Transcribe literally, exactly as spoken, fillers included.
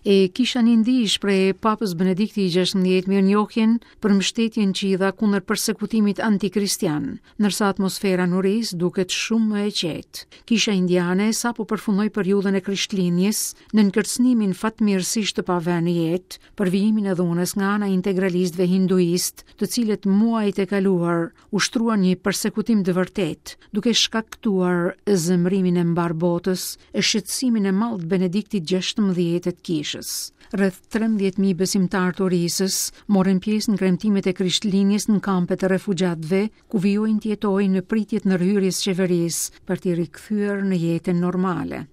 E kisha në Indi shpreh Papës Benedikti i gjashtëmbëdhjetë mirënjohjen për mbështetjen që i dha kundër persekutimit antikristian, ndërsa atmosfera në Orisë duket shumë më e qetë. Kisha indiane sapo përfundoi periudhën e Krishtlindjes nën kërcënimin fatmirësisht të pavënë në jetë për vijimin e dhunës nga ana e integralistëve hinduist, të cilët muajt e kaluar ushtruan një persekutim të vërtetë, duke shkaktuar zemërimin e mbar botës e shqetësimin e madh të Benediktit gjashtëmbëdhjetë të kishës. Rreth trembëdhjetë mijë besimtarë të Orisës morën pjesë në kremtimet e Krishtlindjes në kampet e refugjatëve, ku vijojnë të jetojnë në pritje të ndërhyrjes së qeverisë për t'i rikthyer në jetën normale.